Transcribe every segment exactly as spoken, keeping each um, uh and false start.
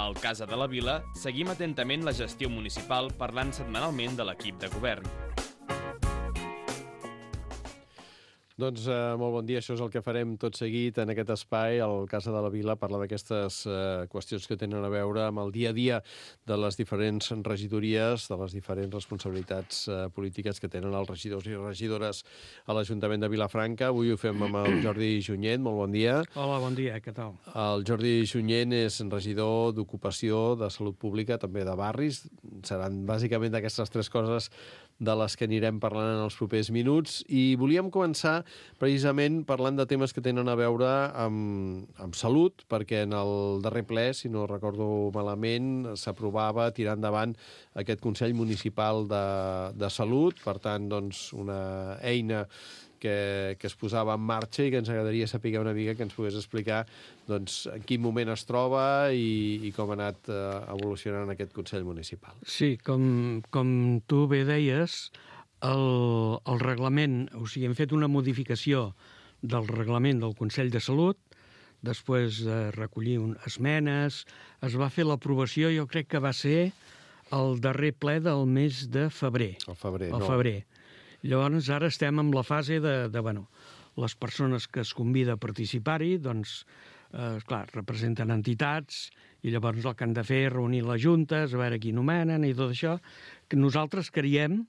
Al Casa de la Vila seguim atentament la gestió municipal parlant setmanalment de l'equip de govern. Doncs eh, molt bon dia, això és el que farem tot seguit en aquest espai, al Casa de la Vila, parlar d'aquestes eh, qüestions que tenen a veure amb el dia a dia de les diferents regidories, de les diferents responsabilitats eh, polítiques que tenen els regidors i regidores a l'Ajuntament de Vilafranca. Avui ho fem amb el Jordi Junyent, molt bon dia. Hola, bon dia, què tal? El Jordi Junyent és regidor d'Ocupació, de Salut Pública, també de Barris. Seran bàsicament d'aquestes tres coses de les que anirem parlant en els propers minuts, i volíem començar precisament parlant de temes que tenen a veure amb, amb salut, perquè en el darrer ple, si no recordo malament, s'aprovava tirar endavant aquest Consell Municipal de, de Salut, per tant, doncs, una eina que, que es posava en marxa i que ens agradaria saber una mica, que ens pogués explicar doncs, en quin moment es troba i, i com ha anat eh, evolucionant aquest Consell Municipal. Sí, com, com tu bé deies, el, el reglament, o sigui, hem fet una modificació del reglament del Consell de Salut, després de recollir un, esmenes, es va fer l'aprovació, jo crec que va ser el darrer ple del mes de febrer. El febrer, el no? febrer. Llavors, ara estem en la fase de, de bueno, les persones que es convida a participar-hi, doncs, eh, clar, representen entitats, i llavors el que han de fer és reunir les juntes, a veure qui nomenen i tot això, que nosaltres creiem,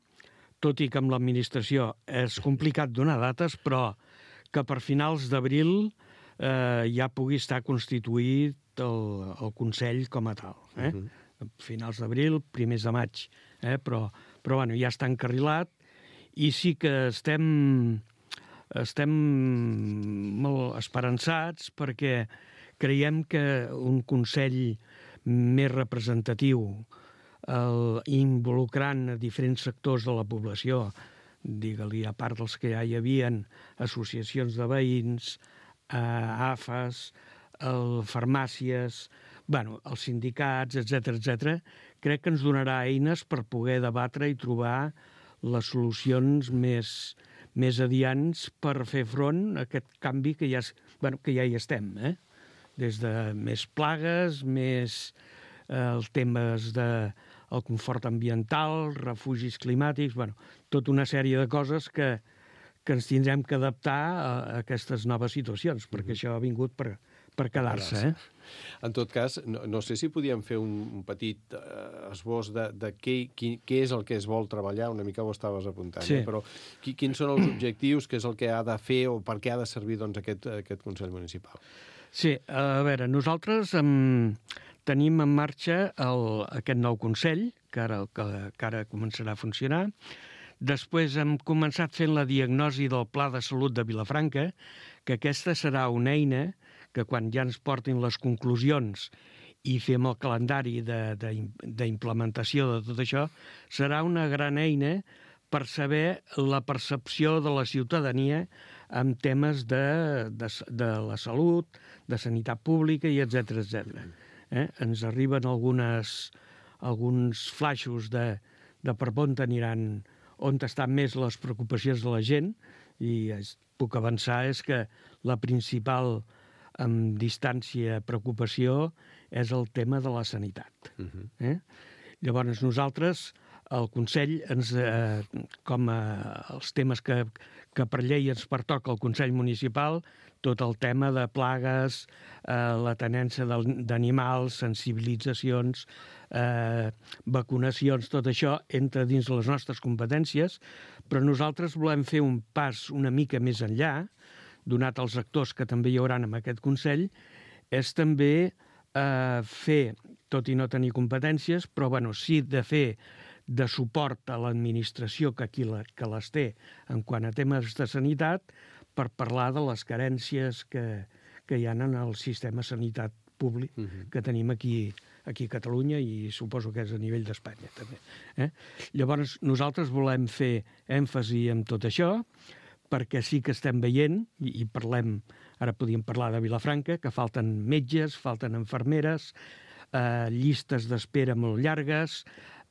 tot i que amb l'administració és complicat donar dates, però que per finals d'abril eh, ja pugui estar constituït el, el Consell com a tal. Eh? Uh-huh. Finals d'abril, primers de maig, eh? però, però bueno, ja està encarrilat. I sí que estem, estem molt esperançats perquè creiem que un Consell més representatiu, el, involucrant a diferents sectors de la població, digue-li, a part dels que ja hi havia, associacions de veïns, eh, A F As, el, farmàcies, bueno, els sindicats, etcètera, etcètera, crec que ens donarà eines per poder debatre i trobar les solucions més, més adients per fer front a aquest canvi que ja, bueno, que ja hi estem, eh? Des de més plagues, més eh, els temes de el confort ambiental, refugis climàtics, bueno, tota una sèrie de coses que, que ens tindrem que adaptar a, a aquestes noves situacions, perquè mm-hmm. això ha vingut per, per quedar-se. Eh? En tot cas, no, no sé si podíem fer un, un petit eh, esbós de, de què, qui, què és el que es vol treballar, una mica ho estaves apuntant, sí. eh? Però qui, quins són els objectius, què és el que ha de fer o per què ha de servir doncs, aquest, aquest Consell Municipal? Sí, a veure, nosaltres um, tenim en marxa el, aquest nou Consell, que ara, que, que ara començarà a funcionar. Després hem començat fent la diagnosi del Pla de Salut de Vilafranca, que aquesta serà una eina que quan ja ens portin les conclusions i fem el calendari d'implementació de, de, de tot això, serà una gran eina per saber la percepció de la ciutadania en temes de, de, de la salut, de sanitat pública i etcètera, etcètera. Eh? Ens arriben algunes, alguns flaixos de, de per on aniran, on estan més les preocupacions de la gent, i es, puc avançar és que la principal amb distància preocupació és el tema de la sanitat. Uh-huh. eh? Llavors nosaltres, el Consell, ens, eh, com a, els temes que, que per llei ens pertoca al Consell Municipal, tot el tema de plagues, eh, la tenència d'animals, sensibilitzacions, eh, vacunacions, tot això entra dins les nostres competències, però nosaltres volem fer un pas una mica més enllà, donat els actors que també hi haurà en aquest Consell, és també eh, fer, tot i no tenir competències, però bueno, sí de fer de suport a l'administració que aquí la, que les té en quant a temes de sanitat, per parlar de les carències que, que hi ha en el sistema sanitat públic uh-huh. que tenim aquí, aquí a Catalunya i suposo que és a nivell d'Espanya també. Eh? Llavors nosaltres volem fer èmfasi en tot això, perquè sí que estem veient, i, i parlem, ara podíem parlar de Vilafranca, que falten metges, falten infermeres, eh, llistes d'espera molt llargues,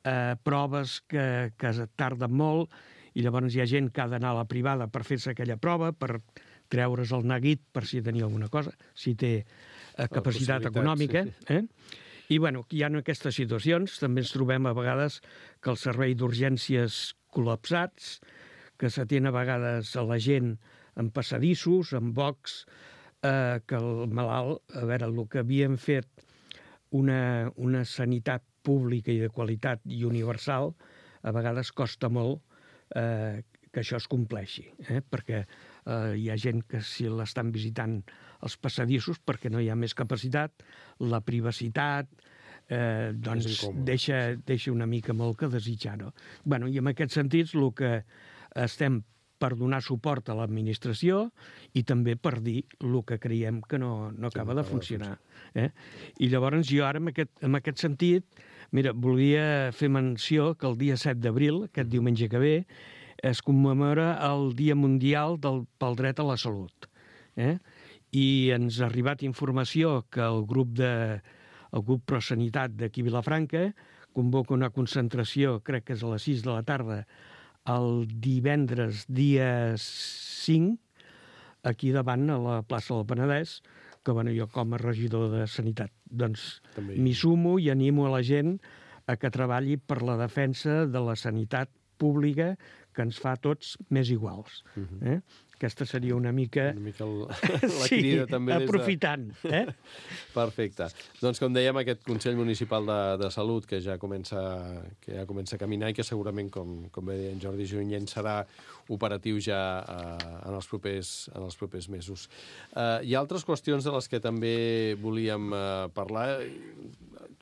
eh, proves que, que tarden molt, i llavors hi ha gent que ha d'anar a la privada per fer-se aquella prova, per treure's el neguit per si tenia alguna cosa, si té eh, capacitat econòmica. Sí, sí. Eh? I, bueno, hi ha aquestes situacions. També ens trobem a vegades que el servei d'urgències col·lapsats, que s'atén a vegades a la gent en passadissos, en bocs, eh, que el malalt, a veure, el que havíem fet una, una sanitat pública i de qualitat i universal, a vegades costa molt eh, que això es compleixi, eh? Perquè eh, hi ha gent que si l'estan visitant els passadissos perquè no hi ha més capacitat, la privacitat eh, doncs deixa, deixa una mica molt que desitjar, no? Bueno, i en aquest sentit el que estem per donar suport a l'administració i també per dir el que creiem que no, no acaba de funcionar. Eh? I llavors jo ara, en aquest, en aquest sentit, mira, volia fer menció que el dia set d'abril, aquest diumenge que ve, es commemora el Dia Mundial del, pel Dret a la Salut. Eh? I ens ha arribat informació que el grup de el grup ProSanitat d'aquí Vilafranca convoca una concentració, crec que és a les sis de la tarda, el divendres dia cinc, aquí davant, a la plaça del Penedès, que bueno, jo com a regidor de Sanitat doncs m'hi sumo i animo a la gent a que treballi per la defensa de la sanitat pública que ens fa tots més iguals. Uh-huh. eh? Aquesta seria una mica... Una mica el... la crida sí, també des de... aprofitant. Eh? Perfecte. Doncs com dèiem, aquest Consell Municipal de, de Salut que ja comença que ja comença a caminar i que segurament, com, com bé deia en Jordi Junyent, serà operatiu ja eh, en, els propers, en els propers mesos. Eh, hi ha altres qüestions de les que també volíem eh, parlar,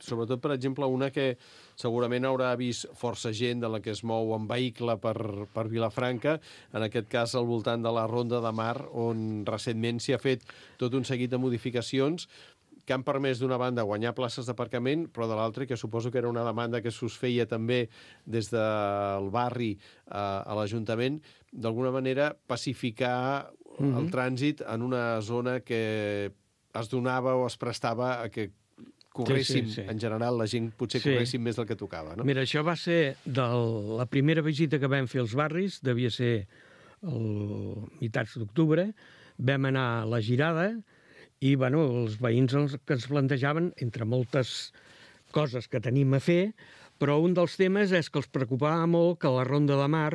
sobretot, per exemple, una que segurament haurà vist força gent de la que es mou en vehicle per, per Vilafranca, en aquest cas al voltant de la Ronda de Mar, on recentment s'hi ha fet tot un seguit de modificacions que han permès d'una banda guanyar places d'aparcament, però de l'altra, que suposo que era una demanda que s'us feia també des del barri eh, a l'Ajuntament, d'alguna manera pacificar mm-hmm. el trànsit en una zona que es donava o es prestava a que corréssim, sí, sí, sí. en general, la gent potser sí. corréssim més del que tocava, no? Mira, això va ser de la primera visita que vam fer als barris, devia ser el mitats d'octubre, vam anar a la Girada i, bueno, els veïns els que ens plantejaven, entre moltes coses que tenim a fer, però un dels temes és que els preocupava molt que a la Ronda de Mar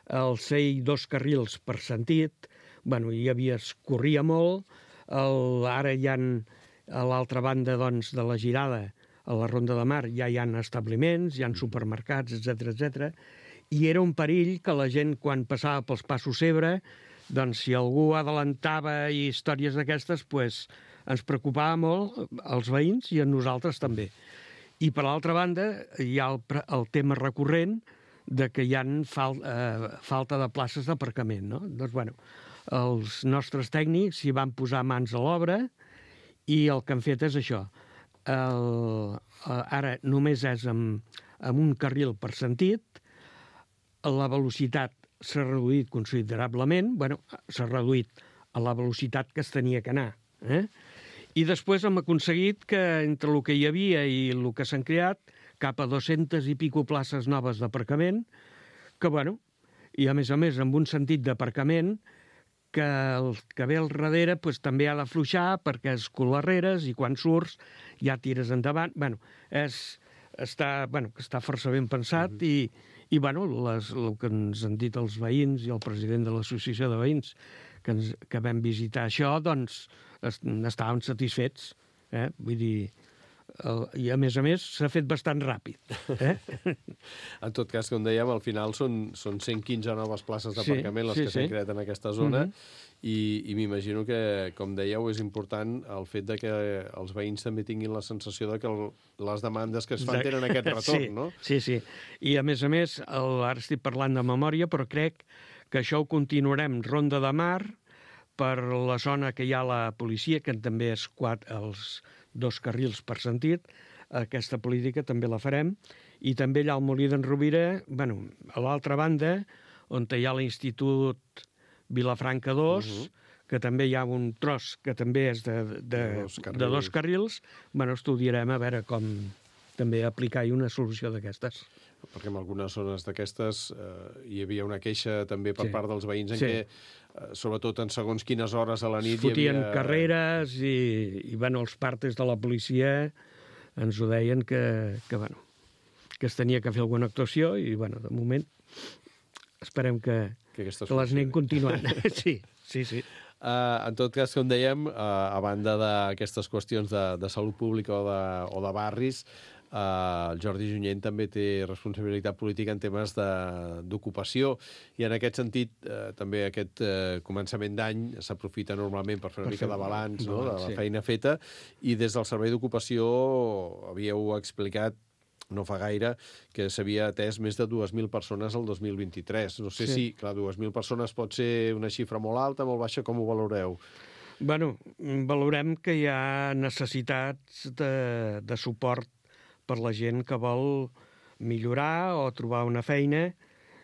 el ser dos carrils per sentit, bueno, hi havia, es corria molt, el, ara hi ha... A l'altra banda, doncs, de la Girada, a la Ronda de Mar, ja hi ha establiments, hi ha supermercats, etcètera, etcètera. I era un perill que la gent, quan passava pels passos Ebre, doncs, si algú adelantava i històries d'aquestes, pues, ens preocupava molt els veïns i a nosaltres també. I, per l'altra banda, hi ha el, el tema recurrent de que hi ha fal, eh, falta de places d'aparcament, no? Doncs, bueno, els nostres tècnics s'hi van posar mans a l'obra i el que han fet és això. El, ara només és amb, amb un carril per sentit, la velocitat s'ha reduït considerablement, bueno, s'ha reduït a la velocitat que es tenia que anar. Eh? I després hem aconseguit que entre el que hi havia i el que s'han creat, cap a dues-centes i pico places noves d'aparcament, que, bueno, i a més a més amb un sentit d'aparcament que el que ve al darrere pues, també ha d'afluixar perquè és colarreres i quan surts ja tires endavant. Bueno, és, està, bueno, està força ben pensat uh-huh. i, i bueno, les, el que ens han dit els veïns i el president de l'associació de veïns que, ens, que vam visitar això, doncs est, estàvem satisfets. Eh? Vull dir, el, i a més a més s'ha fet bastant ràpid. Eh? En tot cas, com dèiem, al final són, són cent quinze noves places d'aparcament sí, les sí, que s'han sí. creat en aquesta zona uh-huh. i, i m'imagino que, com dèieu, és important el fet de que els veïns també tinguin la sensació de que el, les demandes que es fan tenen aquest retorn, sí, no? Sí, sí. I a més a més, el, ara estic parlant de memòria, però crec que això ho continuarem Ronda de Mar per la zona que hi ha la policia, que també és quatre, els dos carrils per sentit, aquesta política també la farem, i també allà al Molí d'en Rovira, bueno, a l'altra banda, on hi ha l'Institut Vilafranca dos, uh-huh. que també hi ha un tros que també és de, de, de, dos, carrils. de dos carrils, bueno, estudiarem a veure com també aplicar-hi una solució d'aquestes. Perquè en algunes zones d'aquestes eh, hi havia una queixa també per sí. part dels veïns en sí. què, eh, sobretot en segons quines hores a la nit... Es fotien hi havia... carreres i, i bueno, els partes de la policia ens ho deien que, que, bueno, que es tenia que fer alguna actuació i, bueno, de moment esperem que, que, que les anem continuant. Sí, sí, sí. Uh, en tot cas, com dèiem, uh, a banda d'aquestes qüestions de, de salut pública o de, o de barris, uh, el Jordi Junyent també té responsabilitat política en temes d'ocupació i en aquest sentit uh, també aquest uh, començament d'any s'aprofita normalment per fer una per mica de balanç, no?, de la sí. feina feta, i des del Servei d'Ocupació havíeu explicat no fa gaire, que s'havia atès més de dues mil persones el dos mil vint-i-tres. No sé sí. si, clar, dues mil persones pot ser una xifra molt alta, molt baixa, com ho valoreu? Bueno, valorem que hi ha necessitats de, de suport per la gent que vol millorar o trobar una feina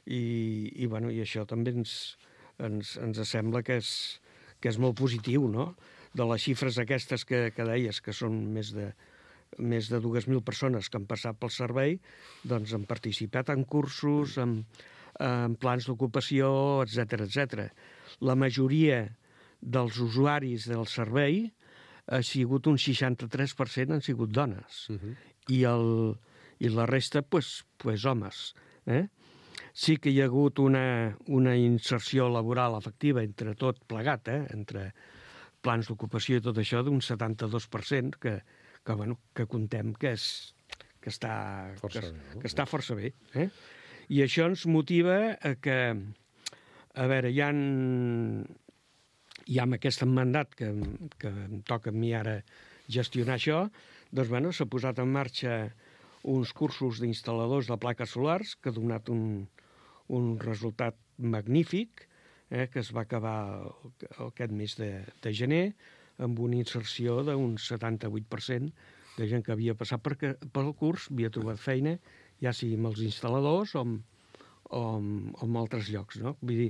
i, i, bueno, i això també ens, ens, ens sembla que és, que és molt positiu, no?, de les xifres aquestes que, que deies, que són més de més de dues mil persones que han passat pel servei, doncs han participat en cursos, en, en plans d'ocupació, etcètera, etcètera. La majoria dels usuaris del servei ha sigut un seixanta-tres per cent han sigut dones. Uh-huh. I, el, i la resta, pues, pues homes. Eh? Sí que hi ha hagut una, una inserció laboral efectiva entre tot plegat, eh? Entre plans d'ocupació i tot això, d'un setanta-dos per cent, que que, bueno, que contem que, és, que, està, força que, bé, no? que està força bé. Eh? I això ens motiva a que, a veure, hi ha, hi ha amb aquest mandat que, que em toca a mi ara gestionar això, doncs, bueno, s'ha posat en marxa uns cursos d'instal·ladors de plaques solars que ha donat un, un resultat magnífic, eh, que es va acabar aquest mes de, de gener, amb una inserció d'un setanta-vuit per cent de gent que havia passat per, pel curs, havia trobat feina, ja sigui amb els instal·ladors o amb, o amb, o amb altres llocs, no? Vull dir,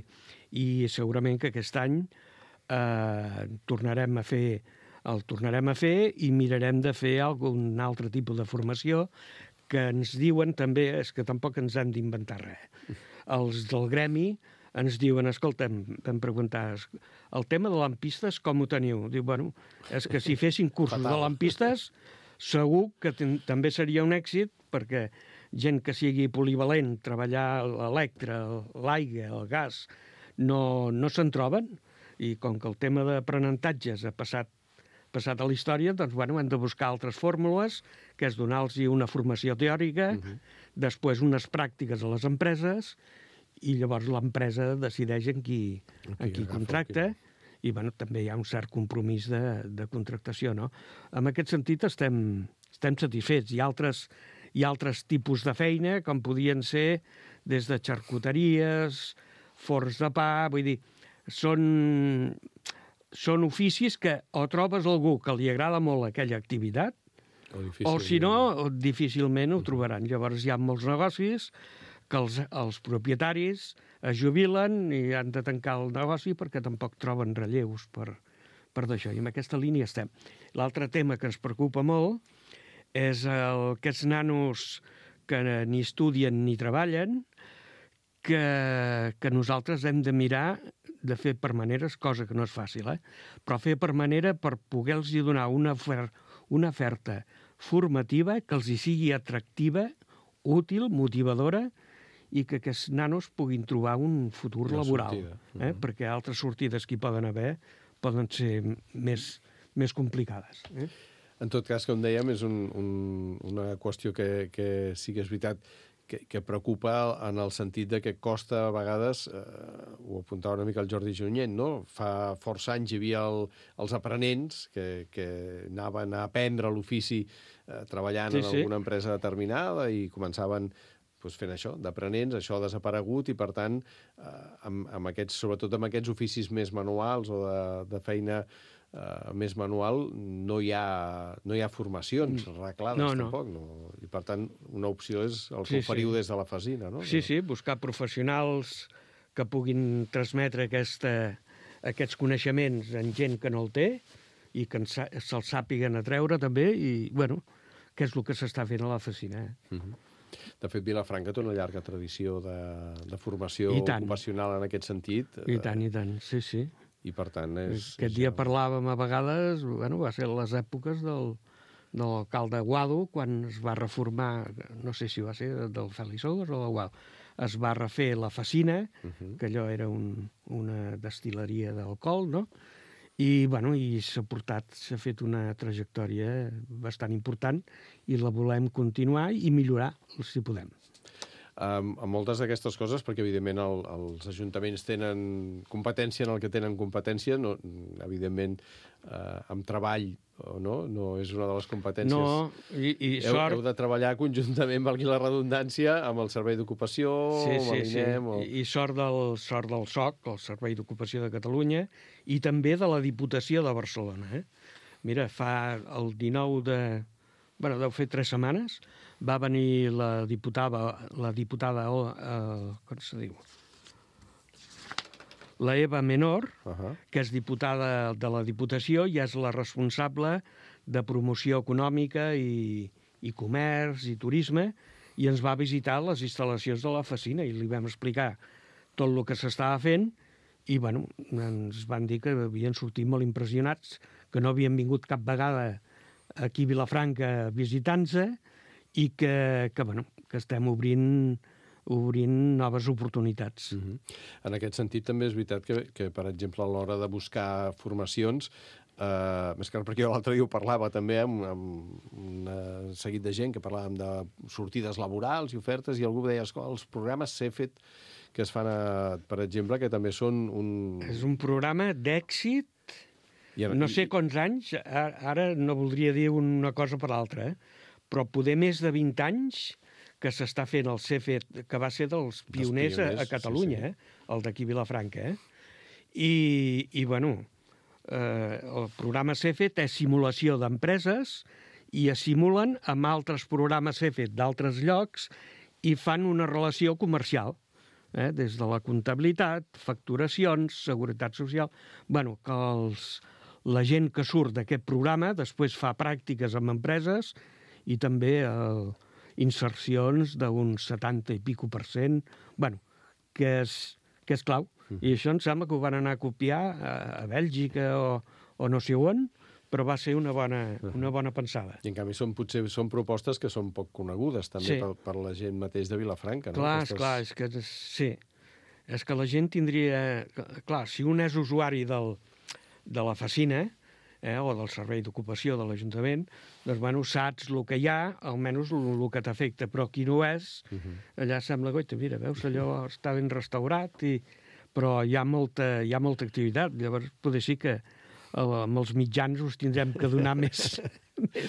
i segurament que aquest any eh, tornarem a fer el tornarem a fer i mirarem de fer algun altre tipus de formació que ens diuen també, és que tampoc ens hem d'inventar res. Els del gremi ens diuen, escolta'm, vam preguntar, el tema de lampistes com ho teniu? Diu, bueno, és que si fessin cursos Fatal. de lampistes, segur que també seria un èxit, perquè gent que sigui polivalent, treballar l'electre, l'aigua, el gas, no, no se'n troben, i com que el tema d'aprenentatges ha passat, passat a la història, doncs, bueno, hem de buscar altres fórmules, que és donar-los una formació teòrica, uh-huh. després unes pràctiques a les empreses, i llavors l'empresa decideix en qui, en qui contracta i, bueno, també hi ha un cert compromís de, de contractació, no? En aquest sentit estem, estem satisfets. Hi ha altres, hi ha altres tipus de feina, com podien ser des de xarcuteries, forns de pa, vull dir, són, són oficis que o trobes algú que li agrada molt aquella activitat, o, o si no, difícilment ho trobaran. Llavors hi ha molts negocis que els, els propietaris es jubilen i han de tancar el negoci perquè tampoc troben relleus per, per d'això. I en aquesta línia estem. L'altre tema que ens preocupa molt és el, aquests nanos que ni estudien ni treballen, que, que nosaltres hem de mirar de fer per maneres, cosa que no és fàcil, eh? però fer per manera per poder-los donar una, ofer una oferta formativa que els hi sigui atractiva, útil, motivadora, i que aquests nanos puguin trobar un futur una laboral. Eh? Uh-huh. Perquè altres sortides que hi poden haver poden ser més, més complicades. Eh? En tot cas, com dèiem, és un, un, una qüestió que, que sí que és veritat que, que preocupa en el sentit de que costa a vegades, eh, ho apuntava una mica el Jordi Junyent, no? Fa força anys hi havia el, els aprenents que, que anaven a aprendre l'ofici eh, treballant sí, en alguna sí. empresa determinada i començaven doncs fent això, d'aprenents, això ha desaparegut i, per tant, eh, amb, amb aquests, sobretot amb aquests oficis més manuals o de, de feina eh, més manual, no hi ha, no hi ha formacions arreglades no, no. tampoc. No? I, per tant, una opció és el que sí, oferiu sí. des de la Fasina, no? Sí, sí, buscar professionals que puguin transmetre aquesta, aquests coneixements en gent que no el té i que se'ls sàpiguen a treure també i, bueno, que és el que s'està fent a la Fasina. Eh? Uh-huh. De fet, Vilafranca té una llarga tradició de, de formació ocupacional en aquest sentit. I tant, i tant, sí, sí. I per tant és... Aquest dia parlàvem a vegades, bueno, va ser les èpoques del, de l'alcalde Guado, quan es va reformar, no sé si va ser del Fèlix Ogos o de Guado, es va refer la Facina, uh-huh. que allò era un, una destil·leria d'alcohol, no? I, bueno, i s'ha portat, s'ha fet una trajectòria bastant important i la volem continuar i millorar, si podem. Um, amb moltes d'aquestes coses, perquè evidentment el, els ajuntaments tenen competència en el que tenen competència, no, evidentment uh, amb treball no, no és una de les competències. No, i, i heu, sort... heu de treballar conjuntament, valgui la redundància, amb el Servei d'Ocupació, sí, amb sí, l'INEM... Sí. O... I sort del, sort del S O C, el Servei d'Ocupació de Catalunya, i també de la Diputació de Barcelona. Eh? Mira, fa el dinou de... Bueno, deu fer tres setmanes, va venir la diputada, la diputada, eh, com se diu? La Eva Menor, uh-huh. que és diputada de la Diputació i és la responsable de promoció econòmica i, i comerç i turisme, i ens va visitar les instal·lacions de la Facina i li vam explicar tot el que s'estava fent i, bueno, ens van dir que havien sortit molt impressionats, que no havien vingut cap vegada aquí a Vilafranca visitant-se i que, que, bueno, que estem obrint, obrint noves oportunitats. Uh-huh. En aquest sentit, també és veritat que, que per exemple, a l'hora de buscar formacions, eh, més que perquè jo l'altre dia ho parlava també amb, amb un seguit de gent que parlàvem de sortides laborals i ofertes, i algú deia, escolta, els programes C E F E T que es fan, a, per exemple, que també són un... És un programa d'èxit. No sé quants anys, ara no voldria dir una cosa per l'altra, eh? Però poder més de vint anys que s'està fent el C E F E T, que va ser dels pioners, pioners a, a Catalunya, sí, sí. Eh? El d'aquí Vilafranca. Eh? I, i, bueno, eh, el programa C E F E T és simulació d'empreses i es simulen amb altres programes C E F E T d'altres llocs i fan una relació comercial, eh? Des de la comptabilitat, facturacions, seguretat social... Bueno, que els... la gent que surt d'aquest programa després fa pràctiques amb empreses i també eh, insercions d'un setanta i pico per cent, bueno, que és, que és clau. Mm. I això em sembla que ho van anar a copiar a, a Bèlgica o, o no sé on, però va ser una bona, una bona pensada. I en canvi són, potser són propostes que són poc conegudes també sí. per, per la gent mateix de Vilafranca. No? Clar, Aquestes... clar, és que sí. És que la gent tindria... Clar, si un és usuari del, de la Facina, eh, o del Servei d'Ocupació de l'Ajuntament, doncs, bueno, saps el que hi ha, almenys el, el que t'afecta, però qui no és, uh-huh. allà sembla, goita, mira, veus, allò està ben restaurat, i... però hi ha, molta, hi ha molta activitat, llavors potser sí que amb els mitjans us tindrem que donar més, més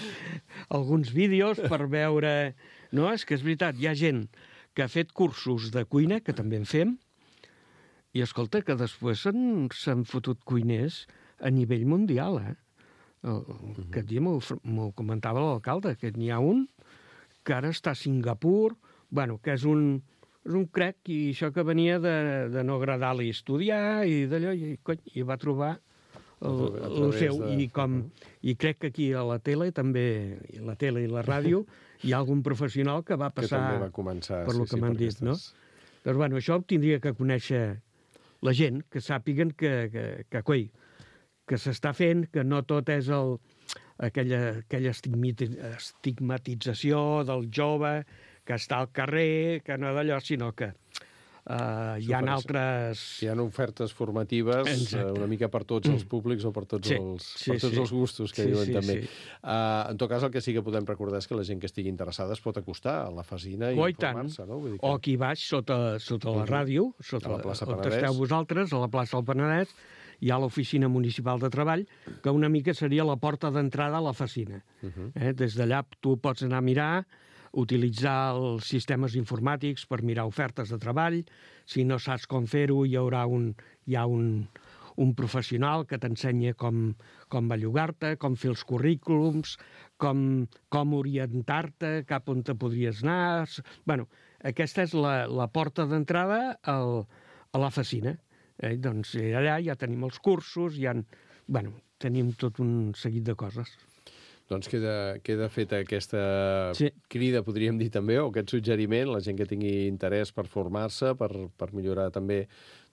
alguns vídeos per veure... No, és que és veritat, hi ha gent que ha fet cursos de cuina, que també en fem, i escolta, que després s'han fotut cuiners a nivell mundial, eh? El, uh-huh. Aquest dia m'ho comentava l'alcalde, que n'hi ha un que ara està a Singapur, bueno, que és un, és un crec, i això que venia de, de no agradar-li estudiar, i d'allò, i, cony, i va trobar el, el seu, de... i, com, uh-huh. i crec que aquí a la tele també, i la tele i la ràdio, hi ha algun professional que va passar que va començar, per sí, lo que sí, m'han dit, aquestes... no? Doncs, bueno, això ho tindria que conèixer la gent, que sàpiguen que, que, que, coi, que s'està fent, que no tot és el, aquella, aquella estigmatització del jove que està al carrer, que no d'allò, sinó que Uh, hi ha altres... Hi ha ofertes formatives uh, una mica per tots els públics o per tots, sí, els, per sí, tots sí. els gustos que sí, diuen sí, també. Sí. Uh, en tot cas, el que sí que podem recordar és que la gent que estigui interessada es pot acostar a la Facina i informar-se. No? Vull dir que... O aquí baix, sota, sota la ràdio, sota a la plaça on Penedès. Esteu vosaltres, a la plaça del Penedès, hi ha l'oficina municipal de treball, que una mica seria la porta d'entrada a la Facina. Uh -huh. eh? Des d'allà tu pots anar a mirar, utilitzar els sistemes informàtics per mirar ofertes de treball. Si no saps com fer-ho, hi haurà un, hi ha un, un professional que t'ensenya com, com bellugar-te, com fer els currículums, com, com orientar-te, cap on te podries anar. Bueno, aquesta és la, la porta d'entrada al, a la Facina. Eh? Doncs allà ja tenim els cursos, ja, bueno, tenim tot un seguit de coses. Doncs queda, queda feta aquesta sí. crida, podríem dir també, o aquest suggeriment, la gent que tingui interès per formar-se, per, per millorar també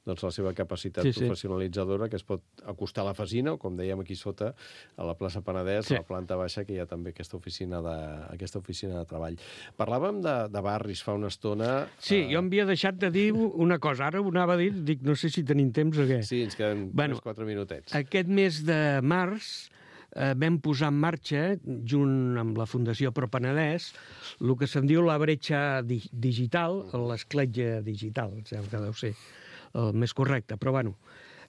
doncs, la seva capacitat Sí, sí. professionalitzadora, que es pot acostar a la Fasina, o com dèiem aquí sota, a la plaça Penedès, Sí. a la planta baixa, que hi ha també aquesta oficina de, aquesta oficina de treball. Parlàvem de, de barris fa una estona. Sí, eh, jo em havia deixat de dir una cosa. Ara ho anava a dir, dic, no sé si tenim temps o què. Sí, ens queden Bueno, tres quatre minutets. Aquest mes de març eh, vam posar en marxa, junt amb la Fundació Pro Penedès, el que se'n diu la bretxa di digital, l'escletxa digital, em sembla que deu ser el més correcte, però bueno,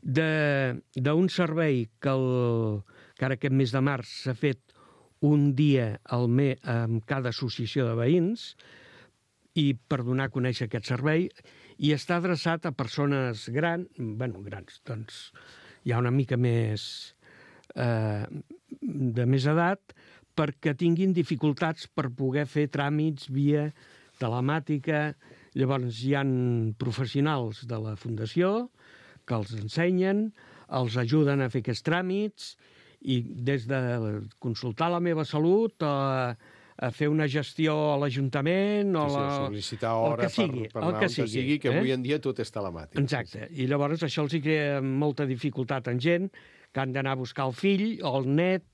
d'un servei que, el, que ara aquest mes de març s'ha fet un dia al mes amb cada associació de veïns, i per donar a conèixer aquest servei, i està adreçat a persones grans, bueno, grans, doncs hi ha una mica més eh, de més edat, perquè tinguin dificultats per poder fer tràmits via telemàtica. Llavors hi han professionals de la Fundació que els ensenyen, els ajuden a fer aquests tràmits, i des de consultar la meva salut a, a fer una gestió a l'Ajuntament o Sí, sí, la... sol·licitar el hora que sigui, per, per el anar que on sigui, sigui, que eh? avui en dia tot és telemàtic. Exacte. I llavors això els hi crea molta dificultat en gent que han d'anar a buscar el fill o el net,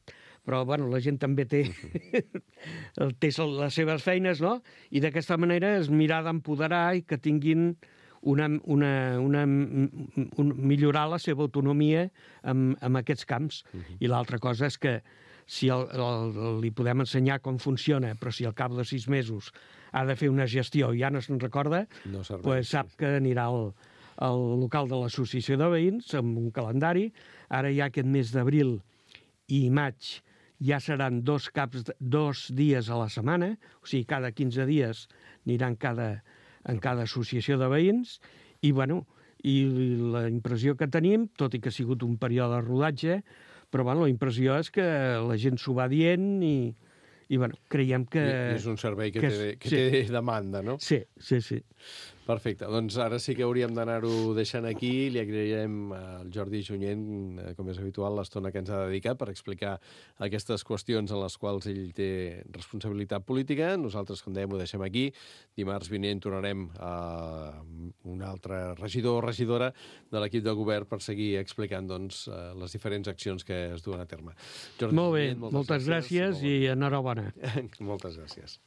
però bueno, la gent també té, té les seves feines, no? I d'aquesta manera és mirar d'empoderar i que tinguin una, una, una, un, millorar la seva autonomia en, en aquests camps. Uh-huh. I l'altra cosa és que si el, el, li podem ensenyar com funciona, però si al cap de sis mesos ha de fer una gestió i ja no se'n recorda, No serveix, pues sap que anirà al, al local de l'associació de veïns amb un calendari. Ara ja aquest mes d'abril i maig ja seran dos caps, de, dos dies a la setmana, o sigui, cada quinze dies aniran cada, en cada associació de veïns, i, bueno, i la impressió que tenim, tot i que ha sigut un període de rodatge, però bueno, la impressió és que la gent s'ho va dient i, i bueno, creiem que... I és un servei que, que té, que sí. té demanda, no? Sí, sí, sí. Perfecte, doncs ara sí que hauríem d'anar-ho deixant aquí. Li agrairem al Jordi Junyent, com és habitual, l'estona que ens ha dedicat per explicar aquestes qüestions en les quals ell té responsabilitat política. Nosaltres, com dèiem, ho deixem aquí. Dimarts vinent tornarem a un altre regidor o regidora de l'equip de govern per seguir explicant doncs, les diferents accions que es duen a terme. Jordi Molt bé, Junyent, moltes, moltes gràcies, gràcies i enhorabona. Moltes gràcies.